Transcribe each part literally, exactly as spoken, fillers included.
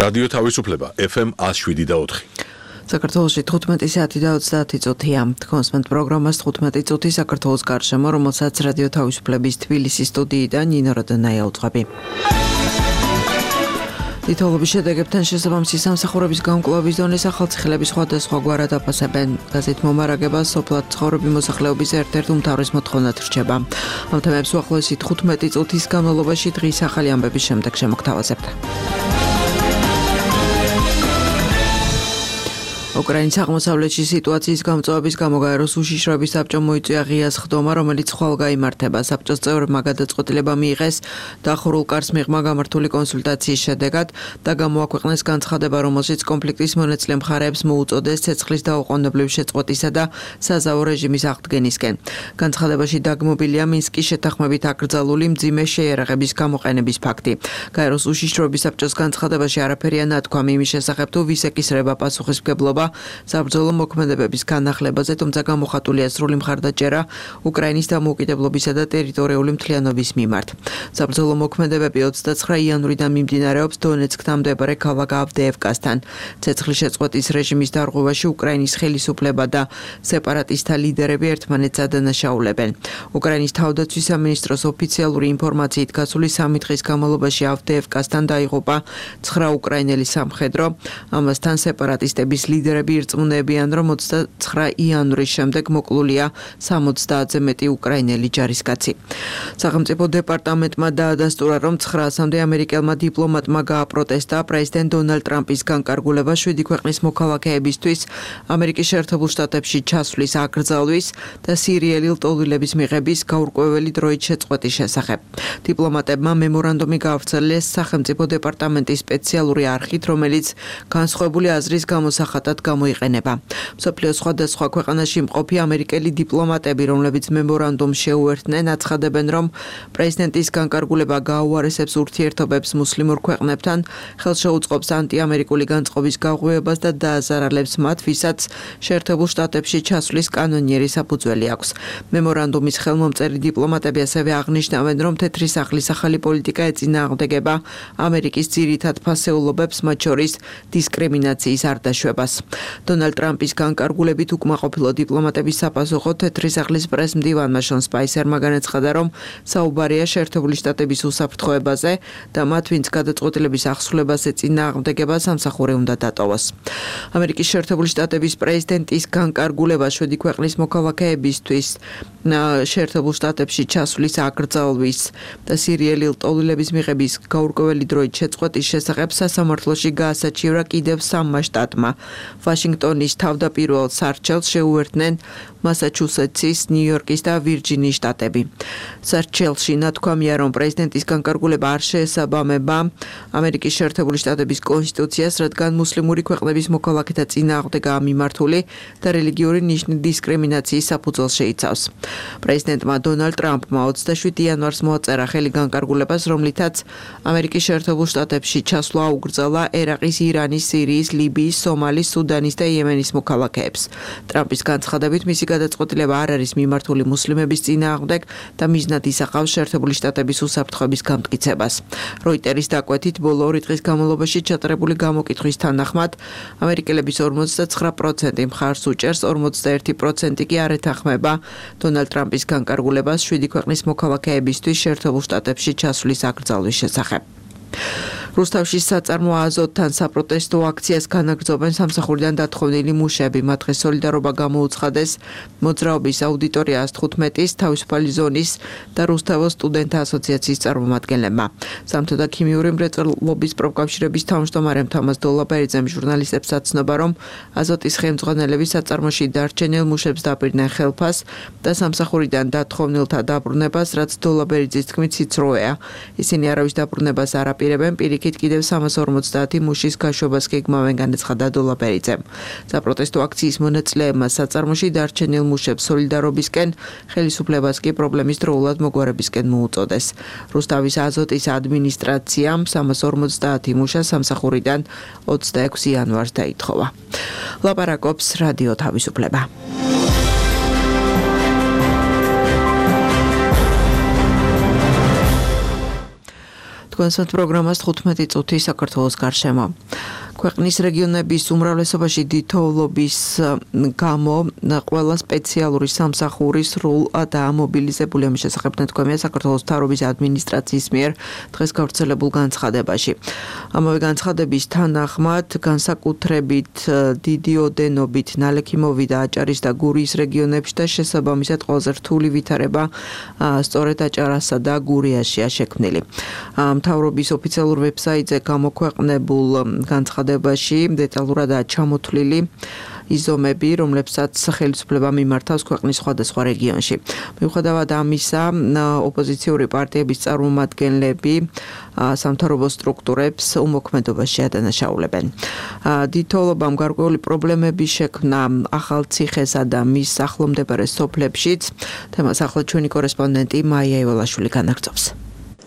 რადიო თავისუფლება ეფ ემ one oh seven და four. საქართველოში თხუთმეტი საათი და ოცდაათი წუთია. Თქვენს პროგრამას თხუთმეტი წუთი საქართველოს გარშემო, რომელსაც რადიო თავისუფლების თბილისის სტუდიიდან ნინო როდონაია უძღვები. Თითოეულის შედეგებთან შესაბამისი სამსახურების გამკლავების დონეს ახალციხეების სხვადასხვა გვარად აფასებენ. გაზეთ მომარაგება სოფლად ცხოვრები მოსახლეობის ერთ-ერთ უმთავრეს მოთხოვნად რჩება. ამ თემებს უახლოესი თხუთმეტი წუთის განმავლობაში დღის ახალი ამბების შემდეგ შემოგთავაზებთ. უკრაინის აღმოსავლეთში სიტუაციის გამწვავების გამო გაეროს უშიშროების საბჭომ მოიწვია ღია სხდომა, რომელიც ხვალ გაიმართება. საბჭოს წევრებმა გადაწყვეტილება მიიღეს დახურულ კარს მიღმა გამართული კონსულტაციის შედეგად და გამოაქვეყნეს განცხადება, რომელშიც კონფლიქტის მონაწილე მხარეებს მოუწოდეს ცეცხლის დაუყოვნებლივ შეწყვეტისა და საზავო რეჟიმის აღდგენისკენ. განცხადებაში დაგმობილია მინსკის შეთანხმებით აკრძალული მძიმე შეიარაღების გამოყენების ფაქტი. გაეროს უშიშროების საბჭოს განცხადებაში არაფერია ნათქვამი იმის შესახებ, თუ ვის ეკისრება პასუხისმგებლობა საბრძოლო მოქმედებების განახლებაზე, თუმცა გამოხატულია სრული მხარდაჭერა უკრაინის დამოუკიდებლობისა და ტერიტორიული მთლიანობის მიმართ. საბრძოლო მოქმედებები ოცდაცხრა იანვრიდან მიმდინარეობს დონეცკთან მდებარე ქალაქ ავდეევკასთან. ცეცხლის შეწყვეტის რეჟიმის დარღვევაში უკრაინის ხელისუფლება და სეპარატისტთა ლიდერები ერთმანეთს ადანაშაულებენ. უკრაინის თავდაცვის სამინისტროს ოფიციალური ინფორმაციით გასული სამი დღის განმავლობაში ავდეევკასთან დაიღუპა ცხრა უკრაინელი სამხედრო, ამასთან სეპარატისტების ლიდერები ირწმუნებიან, რომ ოცდაცხრა იანვრის შემდეგ მოკლულია სამოცდაათზე მეტი უკრაინელი ჯარისკაცი. სახელმწიფო დეპარტამენტმა დაადასტურა, რომ ცხრაასამდე ამერიკელმა დიპლომატმა გააპროტესტა პრეზიდენტ დონალდ ტრამპის განკარგულება შვიდი ქვეყნის მოქალაქეებისთვის ამერიკის შეერთებულ შტატებში ჩასვლის აკრძალვის და სირიელი ლტოლვილების მიღების გაურკვეველი დროით შეწყვეტის შესახებ. დიპლომატებმა მემორანდუმი გაავრცელეს სახელმწიფო დეპარტამენტის სპეციალური არხით, რომელიც განსხვავებული აზრის გამოსახატად გამოიყენება. მსოფლიოს სხვადასხვა ქვეყანაში მყოფი ამერიკელი დიპლომატები, რომლებიც მემორანდუმს შეუერთდნენ, აცხადებენ, რომ პრეზიდენტის განკარგულება გააუარესებს ურთიერთობებს მუსლიმურ ქვეყნებთან, ხელშეუწყობს ანტიამერიკული განწყობის გაღვივებას და დააზარალებს მათ, ვისაც შეერთებულ შტატებში ჩასვლის კანონიერი საფუძველი აქვს. მემორანდუმის ხელმომწერი დიპლომატები ასევე აღნიშნავენ, რომ თეთრი სახლის ახალი პოლიტიკა ეწინააღმდეგება ამერიკის ძირითად ფასეულობებს, მათ შორის დისკრიმინაციის არ დაშვებას. დონალდ ტრამპის განკარგულებით უკმაყოფილო დიპლომატების საპასუხო თეთრი სახლის პრეს-მდივანმა შონ სპაისერმა განაცხადა, რომ საუბარია შეერთებული შტატების უსაფრთხოებაზე და მათ, ვინც გადაწყვეტილების აღსრულებას ეწინააღმდეგება, სამსახური უნდა დატოვოს. ამერიკის შეერთებული შტატების პრეზიდენტის განკარგულება შვიდი ქვეყნის მოქალაქეებისთვის შეერთებულ შტატებში ჩასვლის აკრძალვის და სირიელი ლტოლვილების მიღების გაურკვეველი დროით შეწყვეტის შესახებ სასამართლოში გაასაჩივრა კიდევ სამმა შტატმა. ვაშინგტონის თავდაპირველ სარჩელს შეუერთდნენ მასაჩუსეტსის, ნიუ-იორკის და ვირჯინიის შტატები. სარჩელში ნათქვამია, რომ პრეზიდენტის განკარგულება არ შეესაბამება ამერიკის შეერთებული შტატების კონსტიტუციას, რადგან მუსლიმური ქვეყნების მოქალაქეთა წინააღმდეგაა მიმართული და რელიგიური ნიშნის დისკრიმინაციის საფუძველს შეიცავს. პრეზიდენტმა დონალდ ტრამპმა ოცდაშვიდი იანვარს მოაწერა ხელი განკარგულებას, რომლითაც ამერიკის შეერთებულ შტატებში ჩასვლა აუკრძალა ერაყის, ირანის, სირიის, ლიბიის, სომალის, სუდანის და იემენის მოქალაქეებს. ტრამპის განცხადებით მისი გადაწყვეტილება არ არის მიმართული მუსლიმების წინააღმდეგ და მიზნად ისახავს შეერთებული შტატების უსაფრთხოების გამტკიცებას. როიტერის დაკვეთით, ბოლო ორი დღის განმავლობაში ჩატარებული გამოკითხვის თანახმად, ამერიკელების ორმოცდაცხრა პროცენტი მხარს უჭერს, ორმოცდაერთი პროცენტი კი არ ეთანხმება დონალდ ტრამპის განკარგულებას შვიდი ქვეყნის მოქალაქეებისთვის შეერთებულ შტატებში ჩასვლის აკრძალვის შესახებ. რუსთავში საწარმო აზოტთან საპროტესტო აქციას განაგრძობენ სამსახურიდან დათხოვნილი მუშები. მათ დღეს სოლიდარობა გამოუცხადეს მოძრაობის აუდიტორიას თხუთმეტის, თავისუფალი ზონის და რუსთავოს სტუდენტთა ასოციაციის წარმომადგენლებმა. სამთო და ქიმიური მრეწველობის პროფკავშირების თავმჯდომარე თამაზ დოლაბერიძემ ჟურნალისტებს აცნობა, რომ აზოტის ხელმძღვანელები საწარმოში დარჩენილ მუშებს დაპირდნენ ხელფას და სამსახურიდან დათხოვნილთა დაბრუნებას, რაც დოლაბერიძის თქმით სიცრუეა. ისინი არავის დაბრუნებას არ აპირებენ, პირიქით კიდევ სამას ორმოცდაათი მუშის გაშვებას გეგმავენ, განაცხადა დოლაბერიძემ. საპროტესტო აქციის მონაწილეებმა საწარმოში დარჩენილ მუშებს სოლიდარობისკენ, ხელისუფლებას კი პრობლემის დროულად მოგვარებისკენ მოუწოდეს. რუსთავის აზოტის ადმინისტრაციამ სამას ორმოცდაათი მუშა სამსახურიდან ოცდაექვსი იანვარს დაითხოვა. ლაპარაკობს რადიო თავისუფლება. თქვენსათ პროგრამას თხუთმეტი წუთი საქართველოს გარშემო. ქვეყნის რეგიონების უმრავლესობაში დიდთოვლობის გამო ყველა სპეციალური სამსახური სრულად ამობილიზებული ამის შესახებ თქვენია საქართველოს მთავრობის ადმინისტრაციის მიერ დღეს გავრცელებულ განცხადებაში. ამავე განცხადების თანახმად განსაკუთრებით დიდი ოდენობით ნალექი მოვიდა აჭარის და გურიის რეგიონებში და შესაბამისად ყველაზე რთული ვითარება სწორედ აჭარასა და გურიაშია შექმნილი. მთავრობის ოფიციალურ ვებსაიტზე გამოქვეყნებულ განცხადებაში დეტალურადაა ჩამოთვლილი იზომები, რომლებსაც ხელისუფლება მიმართავს ქვეყნის სხვადასხვა რეგიონში. მიუხედავად ამისა, ოპოზიციური პარტიების წარმომადგენლები სამთავრობო სტრუქტურებს უმოქმედობაში ადანაშაულებენ. დიდთოვლობამ გარკვეული პრობლემები შექმნა ახალციხესა და მის ახლომდებარე სოფლებშიც. თემას ახლა ჩვენი კორესპონდენტი მაია ივალაშვილი განაგრძობს.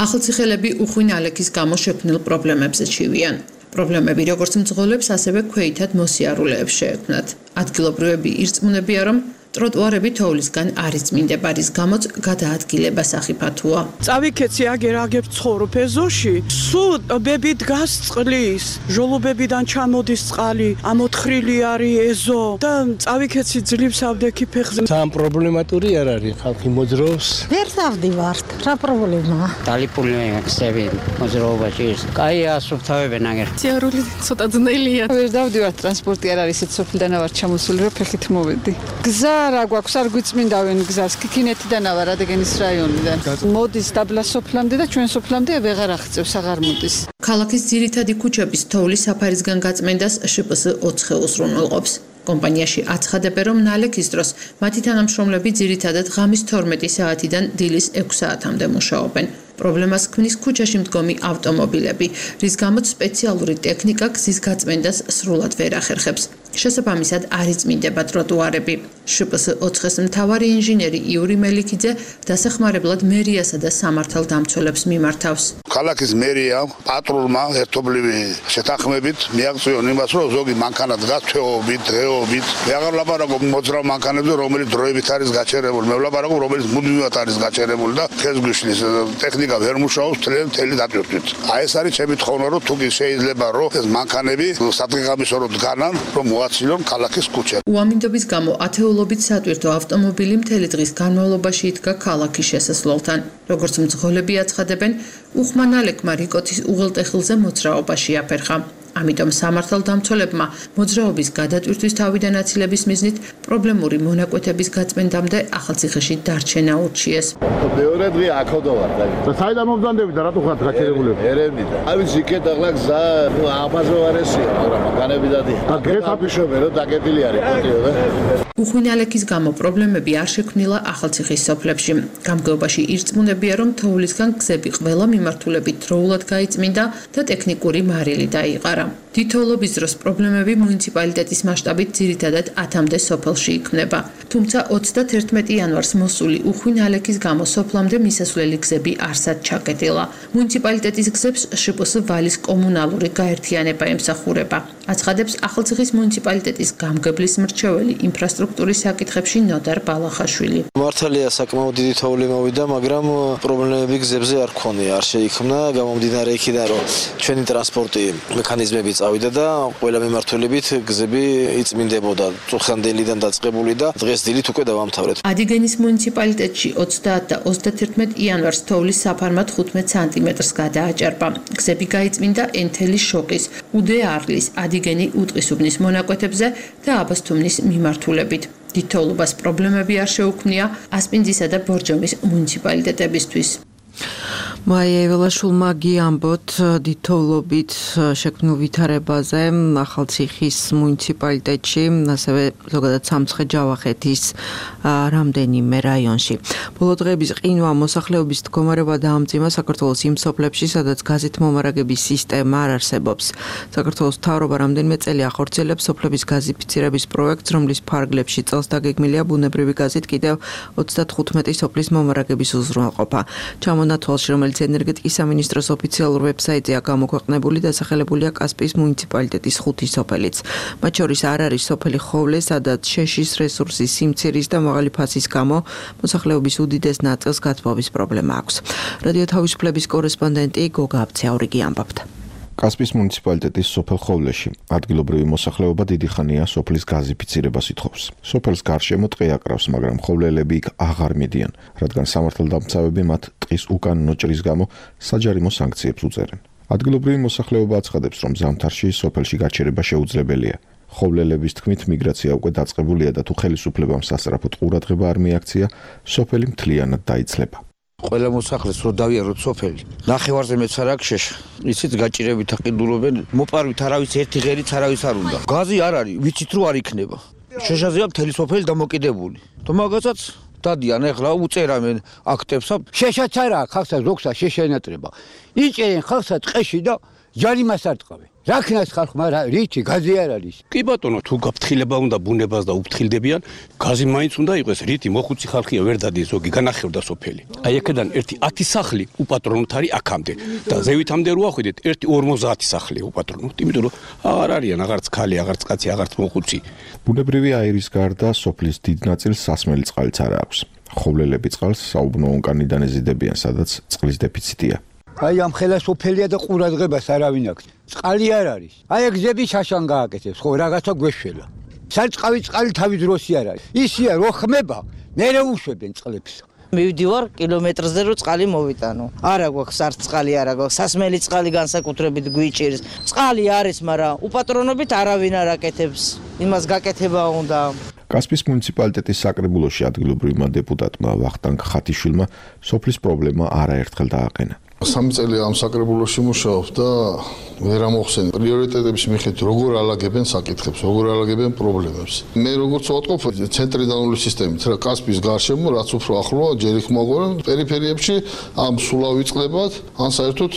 ახალციხელები უხვინ ალექის გამო შექმნილ პრობლემებზე ჩივიან. პრობლემები როგორც მძღოლებს, ასევე ქვეითად მოსიარულეებს შეექმნათ. ადგილობრივები ირწმუნებიან, რომ ტროტუარები თოვლისგან არ იწმინდება, რის გამოც გადაადგილება სახიფათოა. წავიქეცი აგერ აგებ ცხოვრობ ეზოში, სულ ბები დგას წყლის, ჟოლობებიდან ჩამოდის წყალი, ამოთხრილი არის ეზო და წავიქეცი ძლივს ავდექი ფეხზე. სამ პრობლემატური არ არის, ხალხი მოძრაობს. ვერ დავდივართ, რა პრობლემაა? დალიპული ხსები მოძრაობაში ის. კაი ასუფთავებენ აგერ. სიარული ცოტა ძნელია. ვერ დავდივართ, ტრანსპორტი არ არის, სოფლიდან ვარ ჩამოსული, რომ ფეხით მოვედი. გზა რა გვაქვს, არ გვიწმინდავენ გზას, ქიქინეთიდან ვარ, ადეგენის რაიონიდან. მოდის დაბლა სოფლამდე და ჩვენ სოფლამდე ვეღარ აღწევს, აღარ მოდის. ქალაქის ძირითადი ქუჩების თოვლის საფარისგან გაწმენდას შპს ოთხი უზრუნველყოფს. კომპანიაში აცხადებენ, რომ ნალექის დროს მათი თანამშრომლები ძირითადად ღამის თორმეტი საათიდან დილის ექვსი საათამდე მუშაობენ. პრობლემას ქმნის ქუჩაში მდგომი ავტომობილები, რის გამოც სპეციალური ტექნიკა გზის გაწმენდას სრულად ვერ ახერხებს. შესაბამისად არ იწმინდება ტროტუარები. შპს ოთხის მთავარი ინჟინერი იური მელიქიძე დასახმარებლად მერიასა და სამართალდამცველებს მიმართავს. ქალაქის მერია პატრულმა ერთობლივი შეთანხმებით მიაღწიონ იმას, რომ ზოგი მანქანა დგას თვეობით, დღეობით. მე აღარ ვლაპარაკობ მოძრავ მანქანებზე, რომელიც დროებით არის გაჩერებული. მე ვლაპარაკობ, რომელიც მუდმივად არის გაჩერებული და ხეს გვიშლის ტექნიკა ვერ მუშაობს მთელი დატვირთვით. აი ეს არის ჩემი თხოვნა, რომ თუ კი შეიძლება, რომ ეს მანქანები სადღეღამისორო დგანან, რომ მოაცილონ ქალაქის ქუჩა. უამინდობის გამო ათეულობით სატვირთო ავტომობილი მთელი დღის განმავლობაში იდგა ქალაქის შესასვლელთან. როგორც მძღოლები აცხადებენ, უხმა ნალექმა რიკოთის უღელტეხილზე მოძრაობაში აფერხა. ამიტომ სამართალდამცველებმა მოძრაობის გადატვირთვის თავიდან აცილების მიზნით პრობლემური მონაკვეთების გაწმენდამდე ახალციხეში დარჩენა ურჩიეს. მეორე დღე აქოდო ვარ და საიდან მომძანდები და რატო ხართ გაჩერებულები? ერევნიდან. აი ვიცი იქეთ ახლა გზა აბაზო არესია, მაგრამ განები დადია. და გეფაფიშობენ რომ დაგეტილი არის პოტიო და უხვინ ალექის გამო პრობლემები არ შექმნილა ახალციხის სოფლებში. გამგეობაში ირწმუნებიან, რომ თოვლისგან გზები ყველა მიმართულებით დროულად გაიწმინდა და ტექნიკური მარილი დაიყარა. დიდთოვლობის დროს პრობლემები მუნიციპალიტეტის მასშტაბით ძირითადად ათამდე სოფელში იქმნება. თუმცა ოცდათერთმეტი იანვარს მოსული უხვინ ალექის გამო სოფლამდე მისასვლელი გზები არსად ჩაკეტილა. მუნიციპალიტეტის გზებს შპს ვალის კომუნალური გაერთიანება ემსახურება. აცხადებს ახალციხის მუნიციპალიტეტის გამგებლის მრჩეველი ინფრასტრუქტურის საკითხებში ნოდარ ბალახაშვილი. მართალია საკმაოდ დიდი თოვლი მოვიდა, მაგრამ პრობლემები გზებზე არ ქონია, არ შეიქმნა, გამომდინარე იქიდან, რომ ჩვენი ტრანსპორტი მექანიზმები წავიდა და ყველა მიმართულებით გზები იწმინდებოდა. წუხანდელიდან დაწყებული და დღეს დილით უკვე დავამთავრეთ. ადიგენის მუნიციპალიტეტში ოცდაათ და ოცდათერთმეტ იანვარს თოვლის საფარმა თხუთმეტ სანტიმეტრს გადააჭარბა. გზები გაიწმინდა ენთელის შოყის, უდე არლის, ადიგენი უტყისუბნის მონაკვეთებზე და აბასთუმნის მიმართულებით. დიდთოვლობას პრობლემები არ შეუქმნია ასპინძისა და ბორჯომის მუნიციპალიტეტებისთვის. მაია ივალაშვილმა გიამბოთ დიდთოვლობით შექმნილ ვითარებაზე ახალციხის მუნიციპალიტეტში, ასევე ზოგადად სამცხე-ჯავახეთის რამდენიმე რაიონში. ბოლო დღეების ყინვა მოსახლეობის მდგომარეობა დაამძიმა საქართველოს იმ სოფლებში, სადაც გაზით მომარაგების სისტემა არ არსებობს. საქართველოს მთავრობა რამდენიმე წელი ახორციელებს სოფლების გაზიფიცირების პროექტს, რომლის ფარგლებში წელს დაგეგმილია ბუნებრივი გაზით კიდევ ოცდათხუთმეტი სოფლის მომარაგების უზრუნველყოფა. ჩამონათვალში, რომელიც რომელიც ენერგეტიკის სამინისტროს ოფიციალურ ვებსაიტზეა გამოქვეყნებული, დასახელებულია კასპიის მუნიციპალიტეტის ხუთი სოფელიც. მათ შორის არ არის სოფელი ხოვლე, სადაც შეშის რესურსის სიმცირის და მაღალი ფასის გამო მოსახლეობის უდიდეს ნაწილს გათბობის პრობლემა აქვს. რადიო თავისუფლების კორესპონდენტი გოგა აბცაურიგი ამბობდა. კასპიის მუნიციპალიტეტის სოფელ ხოვლეში ადგილობრივი მოსახლეობა დიდი ხანია სოფლის გაზიფიცირებას ითხოვს. სოფელს გარშემო ტყე აკრავს, მაგრამ ხოვლელები იქ აღარ მიდიან, რადგან სამართალდამცავები მათ ტყის უკანონო ჭრის გამო საჯარიმო სანქციებს უწერენ. ადგილობრივი მოსახლეობა აცხადებს, რომ ზამთარში სოფელში გაჩერება შეუძლებელია. ხოვლელების თქმით, მიგრაცია უკვე დაწყებულია და თუ ხელისუფლებამ სასწრაფოდ ყურადღება არ მიაქცია, სოფელი მთლიანად დაიცლება. ყველა მოსახლეს რო დავიაროთ სოფელი. ნახევარზე მეც არ აქვს შეშ. იცით გაჭირებით აყიდულობენ, მოპარვით არავის ერთი ღერიც არავის არ უნდა. გაზი არ არის, ვიცით რო არ იქნება. შეშაზეა მთელი სოფელი დამოკიდებული. თუ მაგასაც დადიან ეხლა უწერამენ აქტებსა. შეშაც არა, ხალხსაც ზოგსა შეშენატრება. იჭერენ ხალხსა ტყეში და ჯარიმას არ ტყავენ. რა ქნას ხალხმა რა რითი გაზი არ არის. კი ბატონო, თუ გაფრთხილება უნდა ბუნებას და უფრთხილდებიან, გაზი მაინც უნდა იყოს, რითი მოხუცი ხალხია ვერ დადის ზოგი განახევდა სოფელი. აი აქედან ერთი ათი სახლი უპატრონოთ არის აქამდე და ზევითამდე რო ახვიდეთ, ერთი ორმოცდაათი სახლია უპატრონოთ, იმიტომ რომ აღარ არიან აღარც ქალი, აღარც კაცი, აღარც მოხუცი. ბუნებრივი აირის გარდა სოფლის დიდ ნაწილს სასმელი წყალიც არ აქვს. ხოვლელები წყალს საუბნო ონკანიდან ეზიდებიან, სადაც წყლის დეფიციტია. აი ამ ხელა სოფელია და ყურადღებას არავინ აქვს. წყალი არ არის. აი გზები შაშან გააკეთებს, ხო რაღაცა გვეშველა. სარწყავი წყალი თავი დროსი არ არის. ისია რო ხმება, მერე უშვებენ წყლებს. მივდივარ კილომეტრზე რო წყალი მოვიტანო. არა გვაქვს არც წყალი არა გვაქვს. სასმელი წყალი განსაკუთრებით გვიჭირს. წყალი არის, მაგრამ უპატრონობით არავინ არ აკეთებს. იმას გაკეთება უნდა. კასპიის მუნიციპალიტეტის საკრებულოში ადგილობრივმა დეპუტატმა ვახტანგ ხათიშვილმა სოფლის პრობლემა არაერთხელ დააყენა. სამი წელი ამ საკრებულოში მუშაობ და ვერ ამოხსენ პრიორიტეტების მიხედვით როგორ ალაგებენ საკითხებს, როგორ ალაგებენ პრობლემებს. მე როგორც ვატყობ ცენტრიდანული სისტემით, რა კასპიის გარშემო რაც უფრო ახლოა ჯერ იქ მოგვარენ პერიფერიებში ამ სულა ვიწყდებათ, ან საერთოდ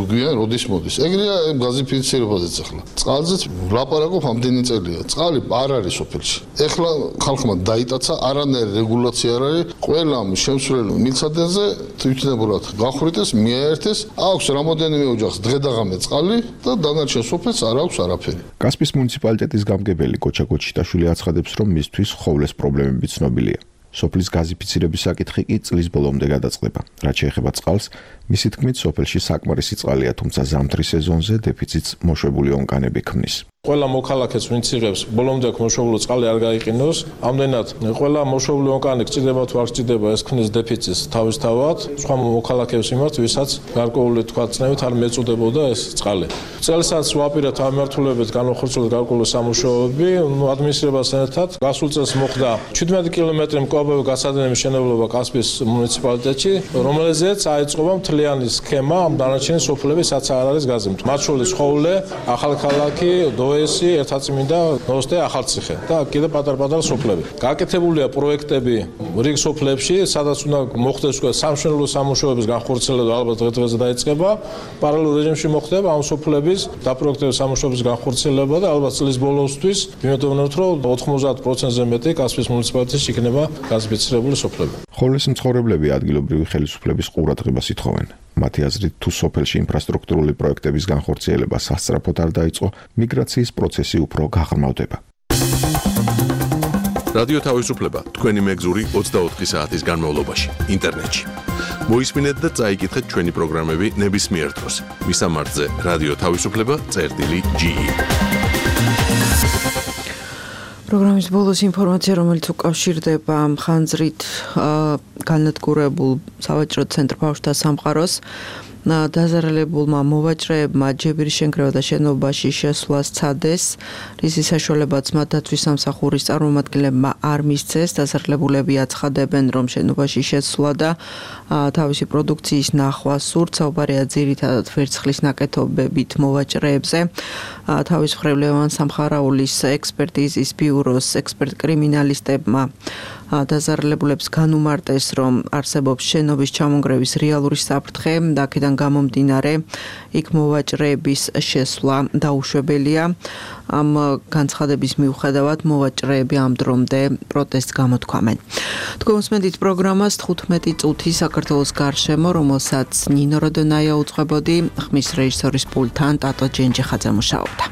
გვიან როდის მოდის. ეგრეა გაზიფიცირებაზეც ახლა. წყალზეც ვლაპარაკობ ამდენი წელია. წყალი არ არის სოფელში. ეხლა ხალხმა დაიტაცა, არანაირი რეგულაცია არ არის. ყველა შემსვლელ მილსადენზე თვითნებურად გახვრიტეს, მიაერთეს, აქვს რამოდენიმე ოჯახს დღე-დაღამე წყალი და დანარჩენ სოფელს არ აქვს არაფერი. კასპიის მუნიციპალიტეტის გამგებელი კოჩა კოჩიტაშვილი აცხადებს, რომ მისთვის ხოვლეს პრობლემები ცნობილია. სოფლის გაზიფიცირების საკითხი კი წლის ბოლომდე გადაწყდება. რაც შეეხება წყალს, მისი თქმით, სოფელში საკმარისი წყალია, თუმცა ზამთრის სეზონზე დეფიციტს მოშვებული ონკანები ქმნის. ყველა მოქალაქეს ვინც იღებს ბოლომდე მოშობილო წყალი არ გაიყინოს. ამდენად ყველა მოშობილი ონკანი გჭირდება თუ არ გჭირდება, ეს ქმნის დეფიციტს თავისთავად. სხვა მოქალაქეებს მიმართ, ვისაც გარკვეული თქვა წნევით არ მეწოდებოდა ეს წყალი. წელსაც ვაპირებთ ამ მიმართულებით განხორციელოთ გარკვეული სამუშაოები, ნუ ადმინისტრაციასთან ერთად. გასულ წელს მოხდა ჩვიდმეტი კილომეტრი მკლავები გასადენების მშენებლობა კასპიის მუნიციპალიტეტში, რომელზეც აიწყობა მთლიანი სქემა ამ დანარჩენი სოფლების, სადაც არ არის გაზი. მათ შორის ხოვლე, ახალქალაქი, ესი ერთაწმინდა ნოსტე ახალციხე და კიდე პატარ-პატარა სოფლები. გაკეთებულია პროექტები რიგ სოფლებში, სადაც უნდა მოხდეს სამშენებლო სამუშაოების განხორციელება, ალბათ დღე-დღეზე დაიწყება. პარალელურ რეჟიმში მოხდება ამ სოფლების დაპროექტების სამუშაოების განხორციელება და ალბათ წლის ბოლოსთვის ვიმედოვნებთ, რომ ოთხმოცდაათ პროცენტზე მეტი კასპიის მუნიციპალიტეტში იქნება გაზიფიცირებული სოფლები. ხოვლის მცხოვრებლები ადგილობრივი ხელისუფლების ყურადღებას ითხოვენ. მათი აზრით, თუ სოფელში ინფრასტრუქტურული პროექტების განხორციელება სასწრაფოდ არ დაიწყო, მიგრაციის პროცესი უფრო გაღრმავდება. რადიო თავისუფლება თქვენი მეგზური ოცდაოთხი საათის განმავლობაში ინტერნეტში. მოისმინეთ და წაიკითხეთ ჩვენი პროგრამები ნებისმიერ დროს. მისამართზე რადიო თავისუფლება წერტილი ჯი ი. პროგრამის ბოლოს ინფორმაცია, რომელიც უკავშირდება ხანძრით განადგურებულ სავაჭრო ცენტრ ბავშვთა სამყაროს. დაზარალებულმა მოვაჭრეებმა ჯებირის შენქრევა და შენობაში შესვლა სცადეს, რისი საშუალებაც მათ დაცვის სამსახურის წარმომადგენლებმა არ მისცეს. დაზარალებულები აცხადებენ, რომ შენობაში შესვლა და თავისი პროდუქციის ნახვა სურთ. საუბარია ძირითადად ვერცხლის ნაკეთობებით მოვაჭრეებზე. თავის მხრივ ლევან სამხარაულის ექსპერტიზის ბიუროს ექსპერტ კრიმინალისტებმა დაზარალებულებს განუმარტეს, რომ არსებობს შენობის ჩამონგრევის რეალური საფრთხე და აქედან გამომდინარე იქ მოვაჭრეების შესვლა დაუშვებელია. ამ განცხადების მიუხედავად მოვაჭრეები ამ დრომდე პროტესტს გამოთქვამენ. თქვენ უსმენთ პროგრამას თხუთმეტი წუთი საქართველოს გარშემო, რომელსაც ნინო როდონაია უძღვებოდი, ხმის რეჟისორის პულტთან ტატო ჯენჯიხაძე მუშაობდა.